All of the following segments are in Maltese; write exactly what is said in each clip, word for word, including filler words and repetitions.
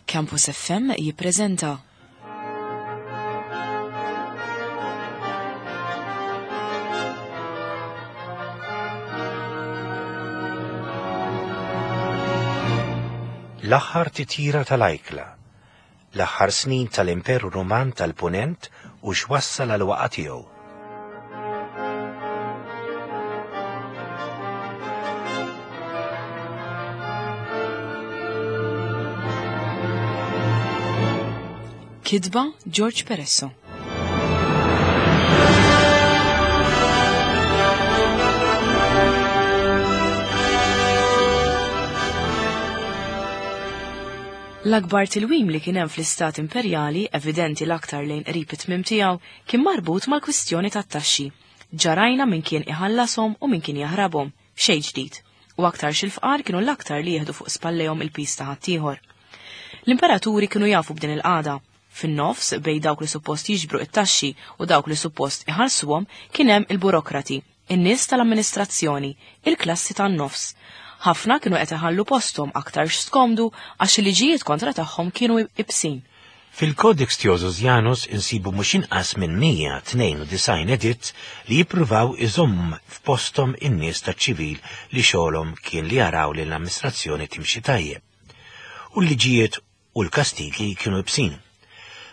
Campus F M jippreżenta L-aħħar titjira tal-ajkla, l-aħħar snin tal-Imperu Ruman tal-Punent u x'wassal għal waqgħa tiegħu. Kitba George Peresso. L-akbar tilwim li kien hemm fl-Istat Imperjali, evidenti l-aktar lejn qrib it-tmiem tiegħu, kien marbut mal-kwistjoni tat-taxxi. Ġarajna min kien iħallashom u min kien jaħrabhom, xejn ġdid. U aktarx il-fqar kienu l-aktar li jieħdu fuq spallejhom il-piż ta' ħaddieħor. L-imperaturi kienu jafu b'din il-qagħda. Fin-nofs, bejn dawk li suppost jiġbru it-taxxi u dawk li suppost iħallsuhom, kien hemm il-burokrati, in-nies tal-amministrazzjoni, il-klassi tan-nofs. Ħafna kienu qed iħallu posthom aktarx skomdu għax il-liġijiet kontra tagħhom kienu ibsin. Fil-Codex Theodosianus insibu mhux inqas minn mija tnejn u disgħin editt li jippruvaw iżomm f'posthom in-nies taċ-ċivil li xogħolhom kien li jaraw li l-amministrazzjoni timxi tajjeb. U l-liġijiet u l-kastigi kienu ibsin.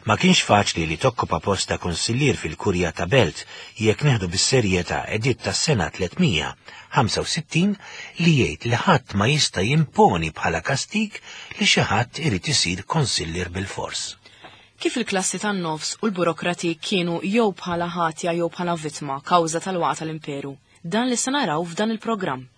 Ma kienx faċli li tokkupa post ta' konsillier fil-kurja ta' belt jekk neħdu bis-serjetà editt tas-sena tliet mija ħamsa u sittin li jgħid li ħadd ma jista' jimponi bħala kastig li xi ħadd irid isir konsillier bil-fors. Kif il-klassi tan-nofs u l-burokrati kienu jew bħala ħatja jew bħala vittma kawża tal-waqgħa tal-imperu, dan li se naraw f'dan il-programm.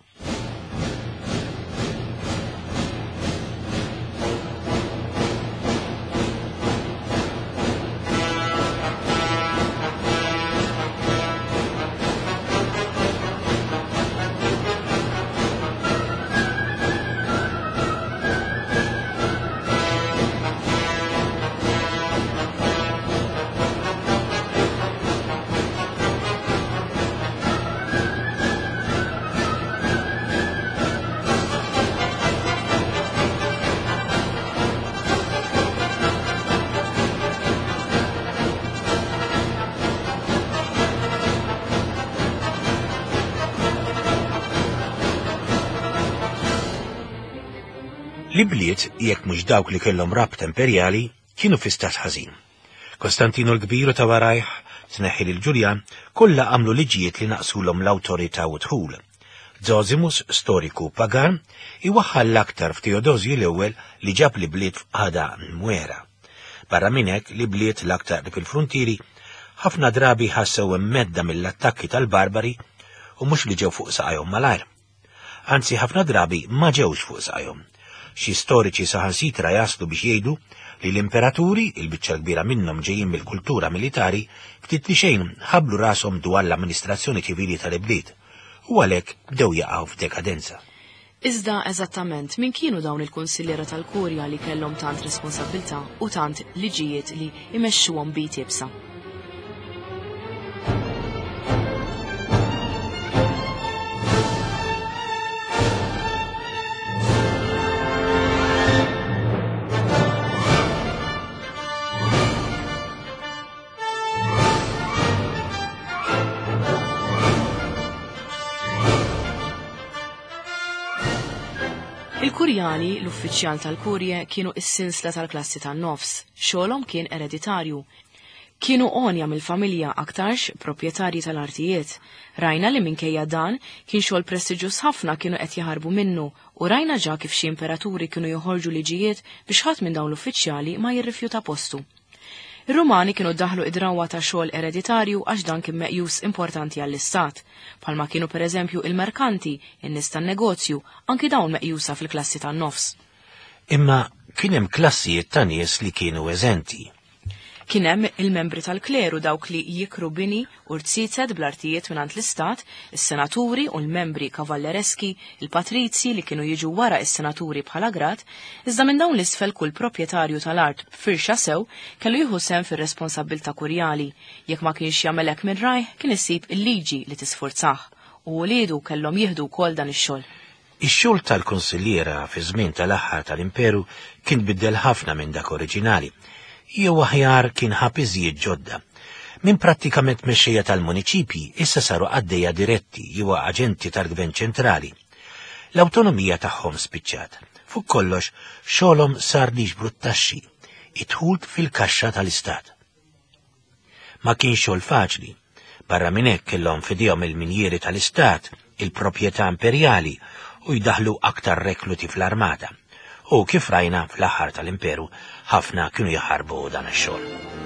L-ibliet, jekk mhux dawk li kellhom rabta imperjali, kienu fi stat ħażin. Kostantino l-Kbir u ta' warajh, tneħħi lil Ġuljan, kollha għamlu liġijiet li naqsulhom l-awtorità u dħul. Zosimus, storiku pagan, iwaħħal l-aktar f'Teodosju l-ewwel li ġab l-ibliet f'qagħda mwera. Barra minn hekk, l-ibliet l-aktar fil-frontieri ħafna drabi ħassew mhedda mill-attakki tal-barbari u mhux li ġew fuq saqajhom malajr. Anzi, ħafna drabi ma ġewx fuq saqajhom. Xi storiċi saħansitra jaslu biex jgħidu li l-imperaturi, il-biċċa kbira minnhom ġejjin mill-kultura militari, ftit li xejn ħablu rashom dwar l-amministrazzjoni ċivili tal-ibliet u għalhekk bdew jaqgħu f'dekadenza. Iżda eżattament min kienu dawn il-kunsilliera tal-kurja li kellhom tant responsabbiltà u tant liġijiet li imexxuhom b'id iebsa? Il-kurjali, l-uffiċjal tal-kurje, kienu is-sinsla tal-klassi tan-nofs, xogħolhom kien ereditarju. Kienu għonja mill-familja, aktarx proprjetarji tal-artijiet. Rajna li minkejja dan kien xogħol prestiġjuż ħafna kienu qed jaħarbu minnu u rajna ġa kif xi imperaturi kienu joħorġu liġijiet biex ħadd minn dawn l-uffiċjali ma jirrifjuta postu. Ir-Rumani kienu daħlu id-drawwa ta' xogħol ereditarju għax dan kien meqjus importanti għall-istat, bħalma kienu pereżempju il-merkanti, in-nies tan-negozju, anki dawn meqjusa fil-klassi tan-nofs. Imma kien hemm klassijiet ta' nies li kienu eżenti. Kien hemm il-membri tal-kleru, dawk li jikru bini u rziezet bl-artijiet mingħand l-istat, is-senaturi u l-membri kavallereski, il-patrizzi li kienu jiġu wara is-senaturi bħala grad, iżda minn dawn l-isfel kull proprjetarju tal-art b'firxa sew kellu jieħu sehem fir-responsabbiltà kurjali. Jekk ma kienx jagħmel hekk minn rajh, kien isib il-liġi li tisfurzah u wliedu kellhom jieħdu wkoll dan ix-xogħol. Ix-xogħol tal-kunsilliera fi żmien tal-aħħar tal-Imperu kien biddel ħafna minn dak oriġinali, jew aħjar kien ħa piżijiet ġodda. Minn prattikament mexxejja tal-muniċipji issa saru qaddejja diretti jew aġenti tal-Gvern ċentrali. L-awtonomija tagħhom spiċċat. Fuq kollox xogħolhom sar li jiġbru t-taxxi, id-dħul fil-kaxxa tal-Istat. Ma kienx xogħol faċli. Barra minn hekk kellhom f'idejhom il-minjieri tal-Istat, il-proprjetà imperjali u jdaħlu aktar rekluti fl-armata. U kif rajna fl-aħħar tal-Imperu, ħafna kienu jaħarbu dan ix-xogħol.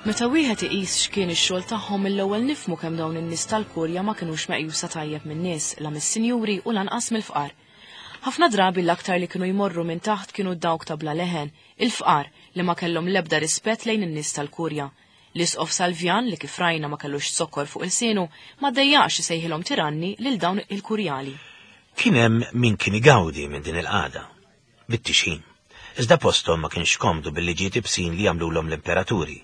Meta wieħed iqis x'kien ix-xogħol tagħhom mill-ewwel nifhmu kemm dawn in-nies tal-kurja ma kinux meqjusa tajjeb min-nies, la mis-sinjuri u lanqas mill-fqar. Ħafna drabi l-aktar li kienu jmorru minn taħt kienu dawk ta' bla leħen, il-fqar li ma kellhom l-ebda rispett lejn in-nies tal-kurja. L-Isqof Salvjan li kif rajna ma kellux zokkor fuq ilsienu ma ddejjaqx isejħilhom tiranni lil dawn il-kurjali. Kien hemm min kien igawdi minn din il-qagħda, bit-tixħim. Iżda posthom ma kienx komdu bil-liġijiet ibsin li jagħmlulhom l-imperaturi.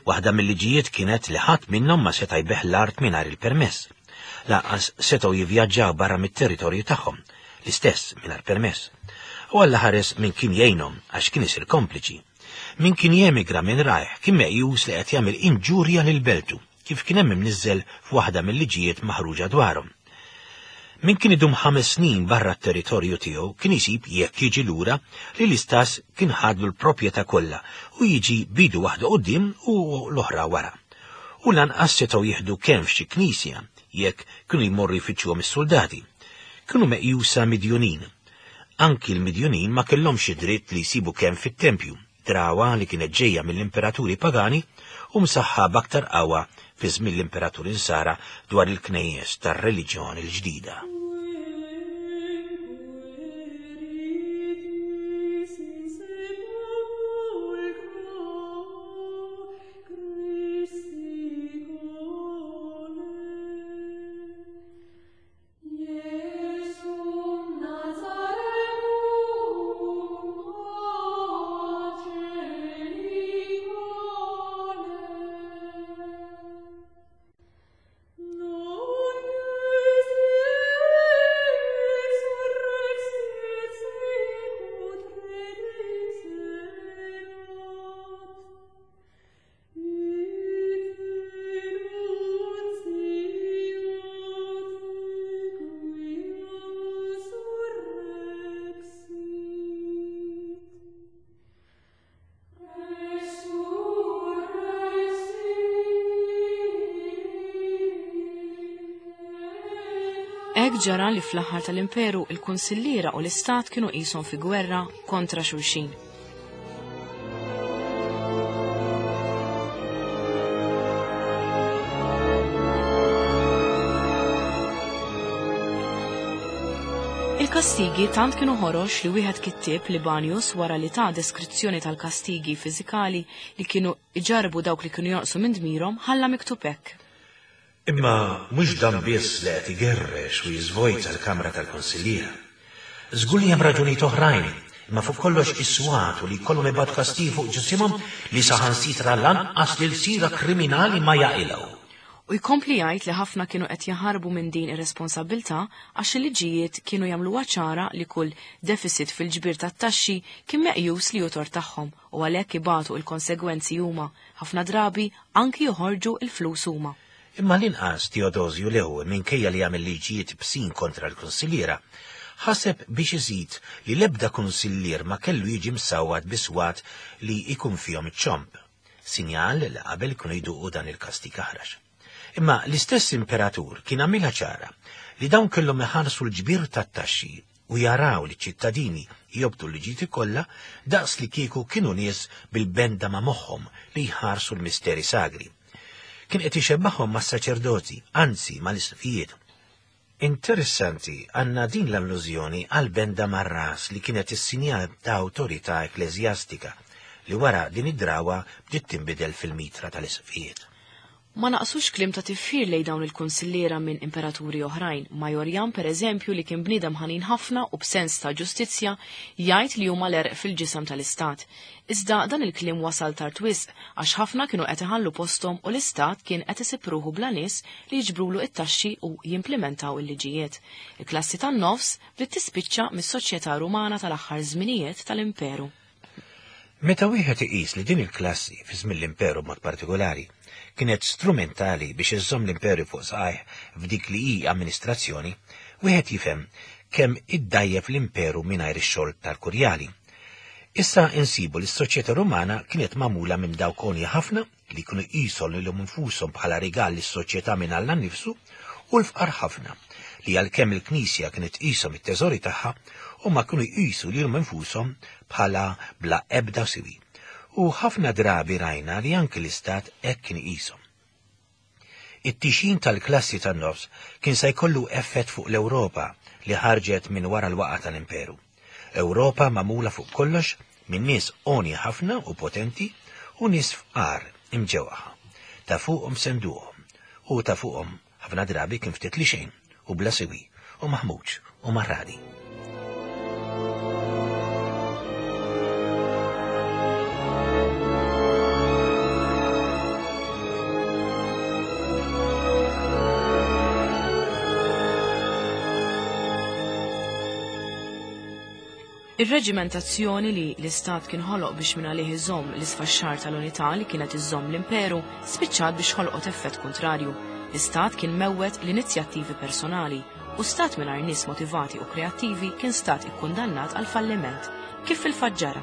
Waħda mill-liġijiet kienet li ħadd minnhom ma seta' jbigħ l-art mingħajr il-permess. Lanqas setgħu jivvjaġġaw barra mit-territorju tagħhom, l-istess mingħajr permess. U Alla ħares min kien jgħinhom għax kien isir kompliċi. Min kien jemigra minn rajh kien meqjus li qed jagħmel inġurja lil beltu, kif kien hemm imniżżel f'waħda mill-liġijiet maħruġa dwarhom. Min kien idum ħames snin barra t-territorju tiegħu kien isib jekk jiġi lura li l-istas kien ħadlu l-proprjetà kollha u jiġi bidu waħda quddiem u l-oħra wara. U lanqas setgħu jieħdu kemm f'xi knisja jekk kienu jmorru jfittxuhom is-soldati. Kienu meqjusa midjunin. Anki l-midjunin ma kellhomx id-dritt li jsibu kemm fit-tempju, drawa li kienet ġejja mill-imperaturi pagani u msaħħa b'aktar qawwa fi żmien l-imperaturi Nsara dwar il-knejjes tar-reliġjoni l-ġdida. Hekk ġara li fl-aħħar tal-Imperu il-kunsilliera u l-Istat kienu qishom fi gwerra kontra xulxin. Il-kastigi tant kienu ħorox li wieħed kittieb Libanius wara li ta' deskrizzjoni tal-kastigi fiżikali li kienu iġarbu dawk li kienu jonqsu minn dmirhom ħalla miktub hekk. Imma mhux dan biss li qed igerrex u jiżvojta l-Kamra tal-Konsilliera. Żgur li hemm raġunijiet oħrajn, imma fuq kollox is-swat u li jkollhom ibgħatu kastig fuq ġisimhom li saħansitra lanqas lil sira kriminali ma jaqilgħu. U jkompli jgħid li ħafna kienu qed jaħarbu minn din ir-responsabbiltà għax il-liġijiet kienu jagħmluha ċara li kull deficit fil-ġbir tat-taxxi kien meqjus li hu tort tagħhom u għalhekk ibatu l-konsegwenzi huma, ħafna drabi anki joħorġu l-flus huma. Imma l-inqas Teodosju l-ewwel minkejja li jagħmel liġijiet bsin kontra l-kunsilliera, ħaseb biex iżid li l-ebda kunsillier ma kellu jiġi msawwat biswat li jkun fihom iċ-ċomb, sinjal li qabel kienu jduqu dan il-kastig aħrax. Imma l-istess imperatur kien għamilha ċara li dawn kellhom iħarsu l-ġbir tat-taxxi u jaraw li ċ-ċittadini jobdu l-liġijiet kollha daqs li kieku kienu nies bil-benda ma' moħħhom li jħarsu l-misteri sagri. Kien qed ixebbaħhom mas-saċerdoti, anzi mal-isqfijiet. Interessanti għandna din l-allużjoni għal benda mar-ras li kienet is-sinjal ta' awtorità ekkleżjastika li wara din id-drawa bdiet tinbidel fil-mitra tal-isqfijiet. Ma naqsux kliem ta' tifħir lejn dawn il-kunsilliera minn imperaturi oħrajn. Majorjan, per eżempju, li kien bniedem ħanin ħafna u b'sens ta' ġustizzja, jgħid li huma l-għerq fil-ġisem tal-istat. Iżda dan il-kliem wasal tard wisq għax ħafna kienu qed iħallu posthom u l-istat kien qed isib ruħu bla nies li jiġbrulu it-taxxi u jimplementaw il-liġijiet. Il-klassi tan-nofs bdiet tispiċċa mis-soċjetà Rumana tal-aħħar żminijiet tal-Imperu. Meta wieħed iqis li din il-klassi fi żmien l-Imperu b'mod partikolari kienet strumentali biex iżżomm l-imperu fuq saqajh f'dik li hi amministrazzjoni, wieħed jifhem kemm iddajjef l-imperu mingħajr ix-xogħol tal-kurjali. Issa insibu li s-soċjetà Rumana kienet magħmula minn dawk għonja ħafna li kienu jqisu lilhom infushom bħala rigal lis-soċjetà minn Alla nnifsu u l-fqar ħafna li għalkemm il-Knisja kienet tqishom it-teżori tagħha huma kienu jqisu lilhom infushom bħala bla ebda siwi. U ħafna drabi rajna li anki l-istat hekk kien iqishom. It-tixjin tal-klassi tan-nofs kien se jkollu effett fuq l-Ewropa li ħarġet minn wara l-waqa tal-Imperu. Ewropa magħmula fuq kollox minn nies għonja ħafna u potenti u nies fqar imġewwaħa. Ta' fuqhom senduhom u ta' fuqhom ħafna drabi kien ftit li xejn u bla siwi u maħmuġ u marradi. Ir-reġimentazzjoni li l-istat kien ħoloq biex minn għalih iżomm l-isfaxxar tal-unità li kienet iżomm l-imperu spiċċat biex ħolqot effett kontrarju. L-istat kien mewwet l-inizjattivi personali u stat mingħajr nies motivati u kreattivi kien stat ikkundannat għal falliment, kif fil-fatt ġara.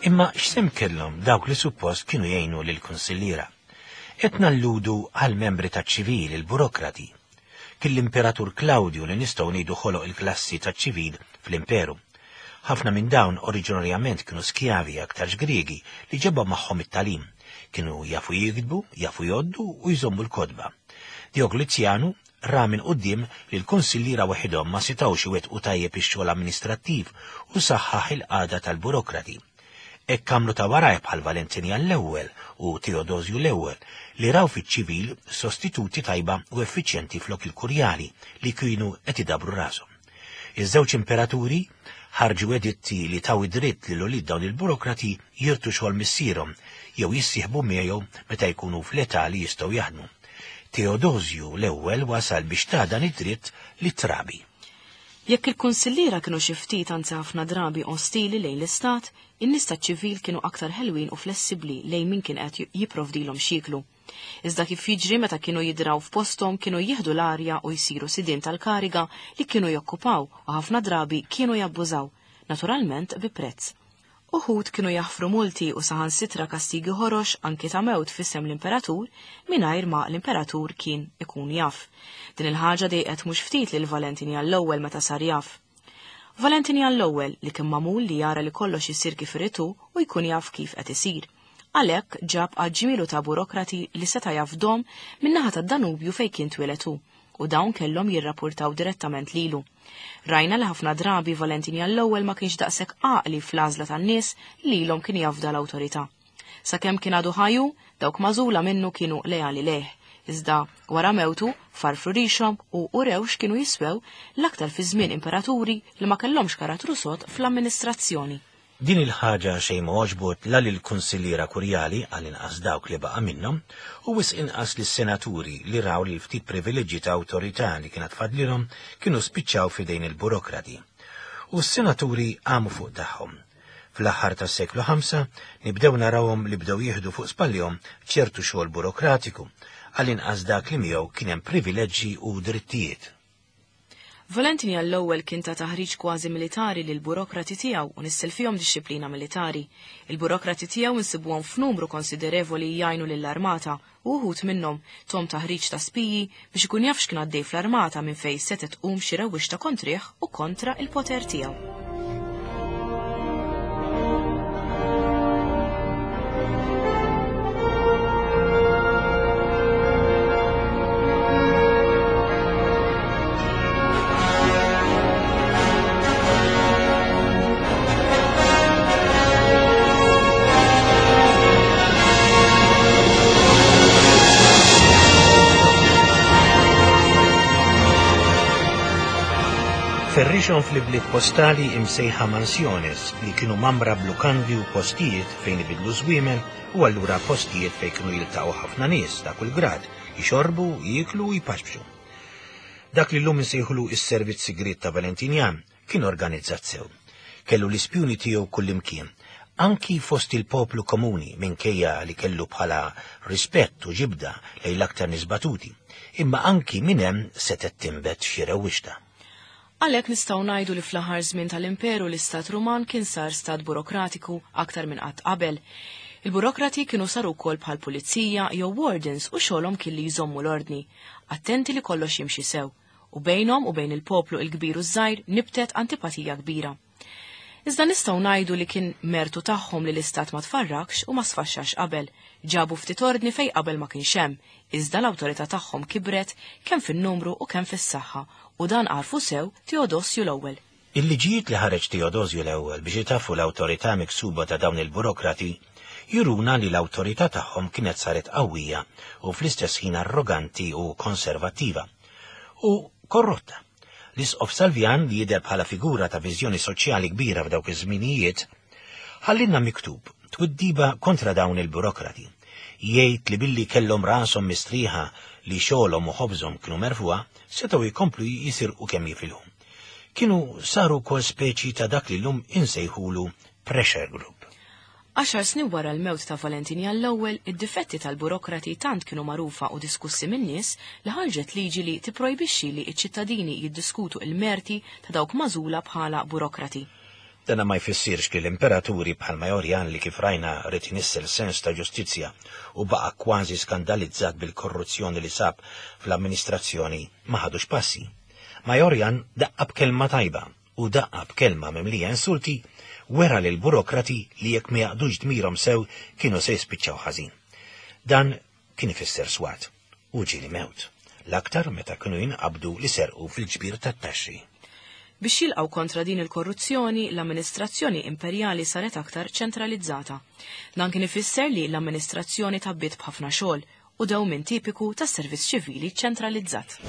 Imma x'sehem kellhom dawk li suppost kienu jgħinu lill-kunsilliera? Qed nalludu għal membri taċ-ċivil, il-burokrati. Kien l-Imperatur Klawdju li nistgħu ngħidu ħoloq il-klassi taċ-ċivil fl-Imperu. Ħafna minn dawn oriġinarjament kienu skjavi aktarx Griegi li ġabhom magħhom it-tagħlim. Kienu jafu jiktbu, jafu jgħoddu u jżommu l-kotba. Dioklezjanu ra minn quddiem li l-kunsilliera waħedhom ma setgħux iwettqu tajjeb ix-xogħol amministrattiv u saħħaħ il-qagħda tal-burokrati. Hekk għamlu ta' warajh bħal Valentinjan l-ewwel u Teodosju l-ewwel li raw fiċ-ċivil sostituti tajba u effiċjenti flok il-kurjali li kienu qed idabru rashom. Iż-żewġ imperaturi ħarġu editti li taw id-dritt lil ulied dawn il-burokrati jirtu xogħol missierhom jew jissieħbu miegħu meta jkunu fl-età li jistgħu jaħdmu. Teodosju l-ewwel wasal biex ta' dan id-dritt lit-trabi. Jekk il-kunsilliera kienu xi ftit anzi ħafna drabi ostili lejn l-istat, in-nies taċ-ċivil kienu aktar ħelwin u flessibbli lejn min kien qed jipprovdilhom x'jieklu. Iżda kif jiġri meta kienu jidraw f'posthom kienu jieħdu l-arja u jsiru sidien tal-kariga li kienu jokkupaw u ħafna drabi kienu jabbużaw, naturalment bi prezz. Uħud kienu jaħfru multi u saħansitra kastigi ħorox anki ta' mewt f'isem l-imperatur mingħajr ma l-imperatur kien ikun jaf. Din il-ħaġa dejqet mhux ftit lil Valentinjan l-ewwel meta sar jaf. Valentinjan l-ewwel li kien magħmul li jara li kollox isir kif irid hu u jkun jaf kif qed isir. Għalhekk ġab għaġġmielu ta' burokrati li seta' jafdhom min-naħa tad-Danubju fejn kien twieled hu, u dawn kellhom jirrapportaw direttament lilu. Rajna li ħafna drabi Valentinjan l-ewwel ma kienx daqshekk għaqli fl-għażla tan-nies li lilhom kien jafda l-awtorità. Sakemm kien għadu ħaju, dawk magħżula minnu kienu leali lejh, iżda wara mewtu farfru rixhom u urew x'kienu jiswew l-aktar fi żmien imperaturi li ma kellhomx karattru sod fl-amministrazzjoni. Din il-ħaġa xejn ma għoġbot la lill-kunsilliera kurjali għal inqas dawk li baqa' minnhom u wisq inqas lis-senaturi li raw li l-ftit privileġġi ta' awtorità li kienet fadlilhom kienu spiċċaw f'idejn il-burokrati. U s-senaturi qamu fuq tagħhom. Fl-aħħar tas-seklu ħamsa nibdew narawhom li bdew jieħdu fuq spallihom ċertu xogħol burokratiku għal inqas dak li miegħu kien hemm privileġġi u drittijiet. Valentinjan l-ewwel kien ta' taħriġ kważi militari lil burokrati tiegħu u nissel fihom dixxiplina militari. Il-burokrati tiegħu insibuhom f'numru konsiderevoli jgħinu lill-armata u wħud minnhom tom taħriġ ta' spiji biex ikun jaf x'kien għaddej fl-armata minn fejn setgħet tqum xi rewwixta kontrih u kontra il-poter tiegħu. Ferrixhom fl-ibliet postali imsejħa mansjones li kienu mamra blukandi u postijiet fejn ibidlu żwiemel u allura postijiet fejn kienu jiltaqgħu ħafna nies ta' kull grad, jixorbu, jieklu u jpaxbxu. Dak li llum insejħulu is-servizz sigriet ta' Valentinjan kien organizzat sew. Kellu l-ispjuni tiegħu kullimkien, anki fost il-poplu komuni minkejja li kellu bħala rispett u ġibda lejn l-aktar nies batuti, imma anki minn hemm setgħet tinbet xi rewwixta. Għalhekk nistgħu ngħidu li fl-aħħar żmien tal-Imperu l-Istat Ruman kien sar stat burokratiku aktar minn qatt qabel. Il-burokrati kienu saru wkoll bħal pulizija jew wardens u xogħolhom kien li jżommu l-ordni, attenti li kollox jimxi sew, u bejnhom u bejn il-poplu il-kbir u żgħir nibtet antipatija kbira. Iżda nistgħu ngħidu li kien mertu tagħhom li l-istat ma tfarrakx u ma sfaxxax qabel, ġabu ftit ordni fejn qabel ma kienx hemm, iżda l-awtorità tagħhom kibret kemm fin-numru u kemm fis-saħħa, u dan għarfu sew Teodosju l-ewwel. Il-liġijiet li ħareġ Teodosju l-ewwel biex itaffu l-awtorità miksuba ta' dawn il-burokrati juruna li l-awtorità tagħhom kienet saret qawwija u fl-istess ħin arroganti u konservattiva u korrotta. L-Isqof Salvjan, li jidher bħala figura ta' viżjoni soċjali kbira f'dawk iż-żminijiet, ħallinna miktub twiddiba kontra dawn il-burokrati. Jgħid li billi kellhom rashom mistrieħa li xogħolhom u ħobżhom kienu merfuha, setgħu jkomplu jisirqu kemm jifilhom. Kienu saru wkoll speċi ta' dak li llum insejħulu pressure group. Għaxar snin wara l-mewt ta' Valentinjan l-ewwel, id-difetti tal-burokrati tant kienu magħrufa u diskussi min-nies li ħarġet liġi li tipprojbixxi li ċ-ċittadini jiddiskutu il-merti ta' dawk magħżula bħala burokrati. Dana ma jfissirx li l-imperaturi bħal Majorjan li kif rajna rid inissel sens ta' ġustizzja u baqa' kważi skandalizzat bil-korruzzjoni li sab fl-amministrazzjoni ma ħadux passi. Majorjan daqqa b'kelma tajba u daqqa b'kelma mimlija insulti wera lil burokrati li jekk ma jaqdux dmirhom sew kienu se jispiċċaw ħażin. Dan kien ifisser swat u ġieli mewt, l-aktar meta kienu jinqabdu li serqu fil-ġbir tat-taxxi. Biex jilqgħu kontra din il-korruzzjoni, l-amministrazzjoni imperjali saret aktar ċentralizzata. Dan kien ifisser li l-amministrazzjoni tabbiet b'ħafna xogħol u dewmien tipiku tas-servizz ċivili ċentralizzat.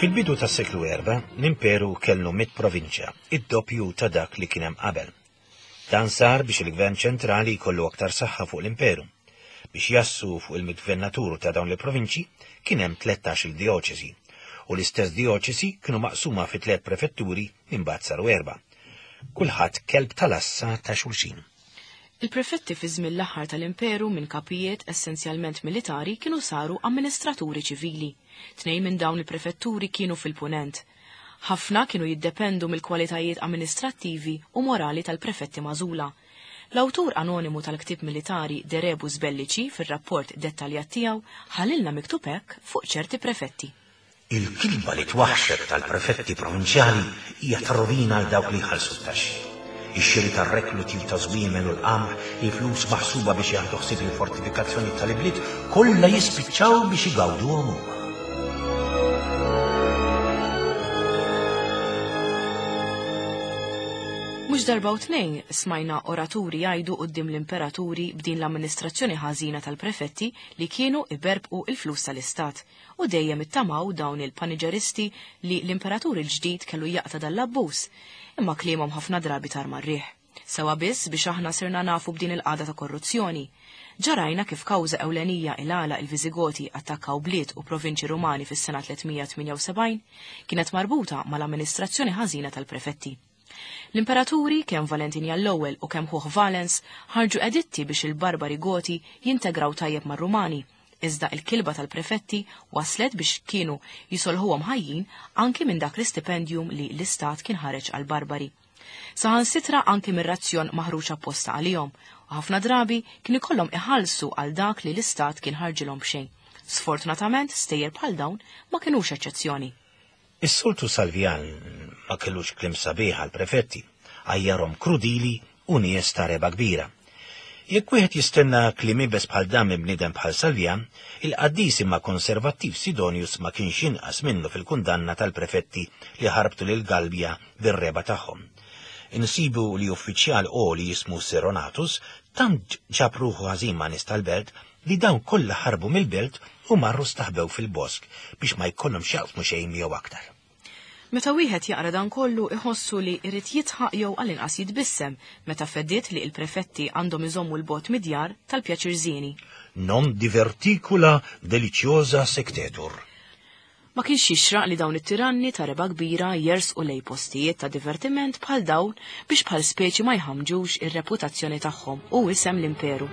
Fil-bidu tas-seklu erba, l-imperu kellu mit provinċja, id-doppju ta' dak li kien hemm qabel. Dan sar biex il-gvern ċentrali jkollu aktar saħħa fuq l-imperu. Biex jassu fuq il-gvernaturu ta' dawn il-provinċji kien hemm tlettax-il dioċesi, u l-istess dioċesi kienu maqsuma fi tliet prefetturi imbagħad saru erba'. Kulħadd kelb tal-assa ta' xulxin. Il-prefetti fi żmien l-aħħar tal-imperu minn kapijiet essenzjalment militari kienu saru amministraturi ċivili. Tnejn minn dawn il-prefetturi kienu fil-punent. Ħafna kienu jiddependu mill-kwalitajiet amministrattivi u morali tal-prefetti magħżula. L-awtur anonimu tal-ktieb militari De Rebus Bellici fir-rapport dettaljat tiegħu ħalilna miktub hekk fuq ċerti prefetti. Il-kilba li twaħxet tal-prefetti provinċjali hija rovina għal dawk li jħallsu t-taxxi. Ix-xiri tar-rekluti u ta' żwiemel u l-qamħ, il-flus maħsuba biex jaħdu ħsieb il-fortifikazzjoni tal-ibliet, kollha jispiċċaw biex igawduhom huma. Mhux darba u tnejn smajna oraturi jgħidu quddiem l-imperaturi b'din l-amministrazzjoni ħażina tal-prefetti li kienu iberbqu il-flus tal-istat u dejjem ittamaw dawn il-paniġeristi li l-imperatur il-ġdid kellu jaqta' dal-abbuż, imma kliemhom ħafna drabi tar mar-riħ. Sewa biss biex aħna sirna nafu b'din il-qagħda ta' korruzzjoni. Ġarajna kif kawża ewlenija il-għala il-Viżigoti attakkaw bliet u provinċi Rumani fis-sena tliet mija tmienja u sebgħin kienet marbuta mal-amministrazzjoni ħażina tal-prefetti. L-imperaturi, kemm Valentinjan l-ewwel u kemm ħuh Valens, ħarġu editti biex il-barbari Goti jintegraw tajjeb mar-Rumani, Iżda il-kilba tal-prefetti waslet biex kienu jisolħuhom ħajjin anki minn dak l-istipendium li l-istat kien ħareġ għal barbari. Saħansitra anki mir-razzjon maħruġ apposta għalihom, u ħafna drabi kien ikollhom iħallsu għal dak li l-istat kien ħarġilhom b'xejn. Sfortunatament, stejjer bħal dawn ma kinux eċċezzjoni. Is-soltu Salvjan ma kellux kliem sabiħ għall-prefetti, għajjarhom krudili u nies ta' reba kbira. Jekk wieħed jistenna kliem iebes bħal dan minn bniedem bħal Salvjan, il-qaddis imma konservattiv Sidonius ma kienx inqas minnu fil-kundanna tal-prefetti li ħarbtu lil Galbja bir-reba tagħhom. Insibu li uffiċjal għoli jismu Seronatus tant ġab ruħu ħażin ma' nies tal-belt li dawn kollha ħarbu mill-belt u marru staħbew fil-bosk biex ma jkollhom x'jaqsmu xejn miegħu aktar. Meta wieħed jaqra dan kollu iħossu li jrid jidħaq jew għall-inqas jitbissem meta feddiet li l-prefetti għandhom iżommu l-bot midjar tal-pjaċir żieni. Non diverticula deliciosa sectetur. Ma kienx jixraq li dawn it-tiranni ta' reba kbira jersqu lej postijiet ta' divertiment bħal dawn biex bħal speċi ma jħamġux ir-reputazzjoni tagħhom u isem l-imperu.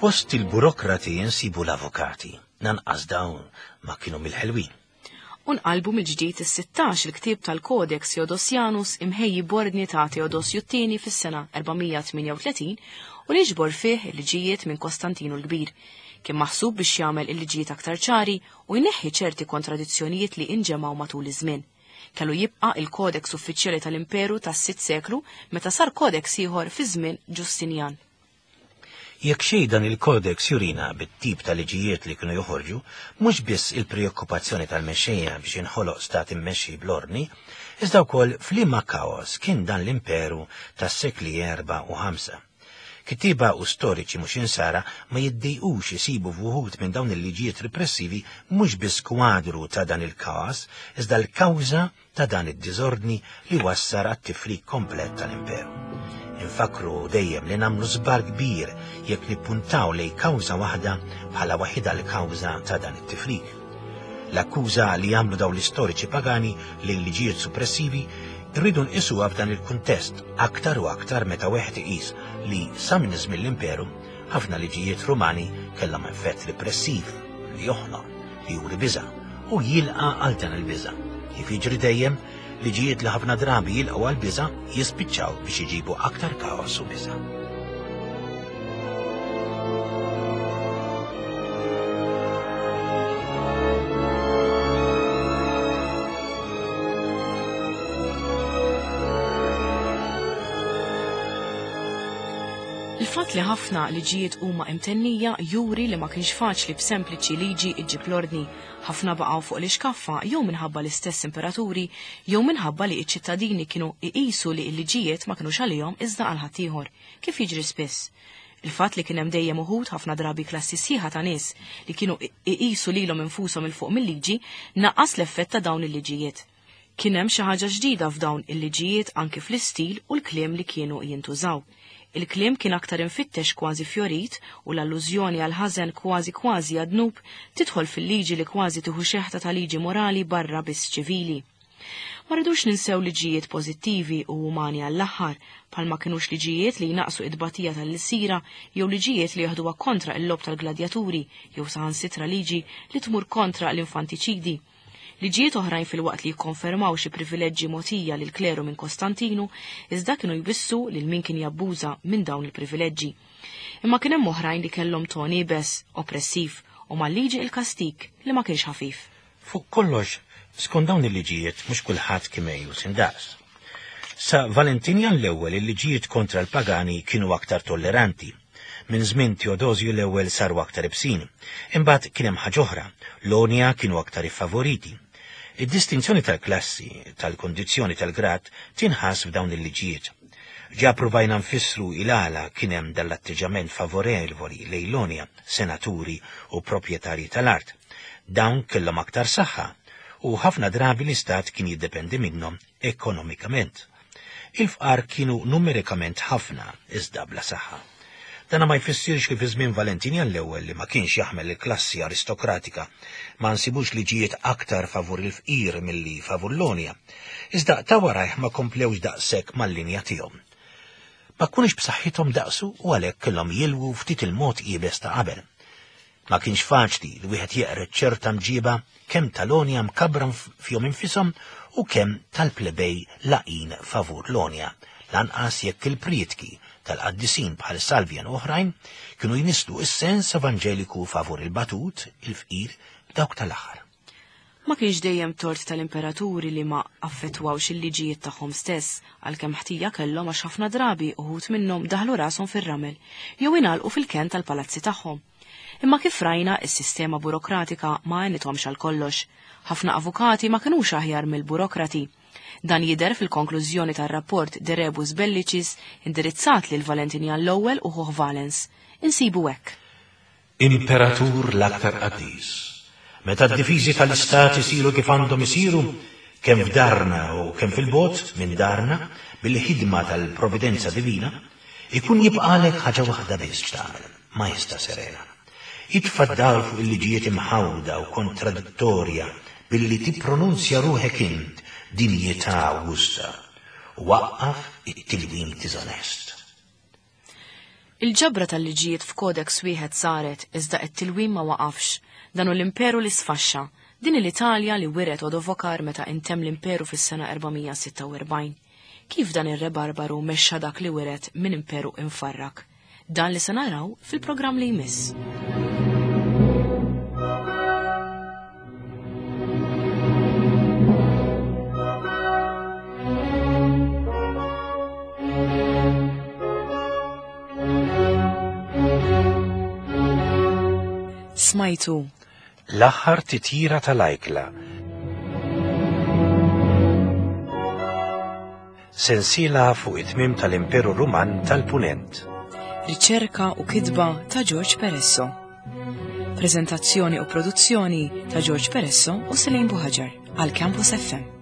Fost il-burokrati jinsibu l-avukati, nanqas dawn ma kienu mill-ħelwin. Unqalbu mill-ġdid is-sittax il-ktieb tal-Codex Theodosianus imħejji b'ordni ta' Teodosju t-tieni fis-sena erba' mija tmienja u tletin u li ġbor fih il-liġijiet minn Kostantinu l-Kbir. Kien maħsub biex jagħmel il-liġijiet aktar ċari u jneħħi ċerti kontradizzjonijiet li inġemgħu matul iż-żmien. Kellu jibqa' il-Codex uffiċjali tal-Imperu tas-sitt seklu meta sar Codex ieħor fi żmien Ġustinjan. Jekk xejn dan il-Codex jurina bit-tip ta' liġijiet li kienu joħorġu, mhux biss il-preokkupazzjoni tal-mexxejja biex inħoloq stat immexxi bl-ordni, iżda wkoll f'liema kaos kien dan l-imperu tas-sekli erba' u ħamsa. Kittieba u storiċi mhux insara ma jiddejqux isibu f'uħud minn dawn il-liġijiet repressivi mhux biss kwadru ta' dan il-kaos, iżda l-kawża ta' dan id-diżordni li wassar għat-tifrik komplet tal-imperu. Infakru dejjem li nagħmlu żbar kbir jekk nippuntaw lej kawża waħda bħala waħida l-kawża ta' dan it-tifrik. L-akkuża li jagħmlu dawn l-istoriċi pagani lejn liġijiet suppressivi rridu nqisuha f'dan il-kuntest aktar u aktar meta wieħed iqis li sa minn żmien l-imperu ħafna liġijiet Rumani kellhom effett repressiv li joħnoq, li juri biża' u jilqa' għal dan il-biża'. Kif jiġri dejjem, liġijiet li ħafna drabi jilqgħu għal biża' jispiċċaw biex iġibu aktar kaos u biża'. Il-fatt li ħafna liġijiet huma imtennija juri li ma kienx faċli b'sempliċi liġi iġġib l-ordni. Ħafna baqgħu fuq l-ixkaffa jew minħabba l-istess imperaturi jew minħabba li ċ-ċittadini kienu iqisu li l-liġijiet ma kinux għalihom iżda għal ħaddieħor, kif jiġri spiss. Il-fatt li kien hemm dejjem uħud ħafna drabi klassi sħiħa ta' nies li kienu iqisu lilhom infushom il fuq mill-liġi naqqas l-effett ta' dawn il-liġijiet. Kien hemm xi ħaġa ġdida f'dawn il-liġijiet anki fl-istil u l-kliem li kienu jintużaw. Il-kliem kien aktar infittex kważi fjorit u l-allużjoni għal ħażen kważi kważi għad-dnub tidħol fil-liġi li kważi tieħu xeħta ta' liġi morali barra biss ċivili. Ma rridux ninsew liġijiet pożittivi u umani għall-aħħar, bħalma kinux liġijiet li jnaqsu id-batija tal-lsira jew liġijiet li jaħduha kontra l-lob tal-gladjaturi jew saħansitra liġi li tmur kontra l-infantiċidi. Liġijiet oħrajn fil-waqt li jikkonfermaw xi privileġġi mogħtija lil kleru minn Kostantinu, iżda kienu jwissu lil min kien jabbuża minn dawn il-privileġġi. Imma kien hemm oħrajn li kellhom ton iebes, oppressiv u mal-liġi il-kastik li ma kienx ħafif. Fuq kollox, skont dawn il-liġijiet mhux kulħadd kien mejjus indaqs. Sa Valentinian l-ewwel il-liġijiet kontra l-pagani kienu aktar tolleranti. Minn żmien Teodosju l-ewwel saru aktar ibsin. Imbagħad kien hemm ħaġa oħra, l-għonja kienu aktar iffavoriti. Id-distinzjoni tal-klassi, tal-kondizzjoni tal-grad tinħass f'dawn il-liġijiet. Ġa provajna nfissru il-għala kien hemm dal-atteġġament favorevoli lejn l-għonja, senaturi u proprjetarji tal-art. Dawn kellhom aktar saħħa u ħafna drabi l-istat kien jiddependi minnhom ekonomikament. Il-fqar kienu numerikament ħafna iżda bla saħħa. Dana ma jfissirx li fi żmien Valentinjan l-ewwel li ma kienx jaħmel il-klassi aristokratika ma nsibux liġijiet aktar favur il-fqir milli favur l-għonja. Iżda ta' warajh ma komplewx daqshekk mal-linja tiegħu. Ma kunux b'saħħithom daqsu u għalhekk kellhom jilwu ftit il-mod iebes ta' qabel. Ma kienx faċli li wieħed jeqred ċerta mġiba kemm tal-għonja mkabbra fihom infushom u kemm tal-plebej laqin favur l-għonja, lanqas jekk il-prietki tal-qaddisin bħal Salvjan u oħrajn kienu jnisslu is-sens evanġeliku favur il-batut, il-fqir, dawk tal-aħħar. Ma kienx dejjem tort tal-imperaturi li ma affettwawx il-liġijiet tagħhom stess, għalkemm ħtija kellhom għax ħafna drabi uħud minnhom daħlu rashom fir-ramel jew ingħalqu fil-kenn tal-palazzi tagħhom. Imma kif rajna, is-sistema burokratika ma għenithomx għal kollox. Ħafna avukati ma kinux aħjar mill-burokrati. Dan jidher fil-konklużjoni tar-rapport De Rebus Bellicis indirizzat lil Valentinjan l-ewwel u ħuh Valens. Insibu hekk. Imperatur l-aktar qaddis, meta d-difiżi tal-istat isiru kif għandhom isiru, kemm f'darna u kemm fil-bot minn darna, bil-ħidma tal-providenza divina, ikun jibqalek ħaġa waħda biss x'tagħmel, Majesta Serena. Itfa' d-dawl fuq il-liġijiet imħawda u kontradittorja billi tippronunzja ruħek int dinjità Augusta u waqqaf it-tilwim diżonest. Il-ġabra tal-liġijiet f'kodex wieħed saret iżda t-tilwim ma waqafx. Dan hu l-imperu li sfaxxa, din l-Italja li wiret Odovokar meta intemm l-imperu fis-sena erba' mija sitta u erbgħin. Kif dan ir-re barbaru mexxa dak li wiret minn imperu infarrak? Dan li se naraw fil-programm li jmiss. Smajtu L-aħħar titjira tal-ajkla. Sensiela fuq it-tmiem tal-Imperu Ruman tal-Punent. Riċerka u kitba ta' George Peresso. Prezentazzjoni u produzzjoni ta' George Peresso u Selene Buhaġar għal Campus F M.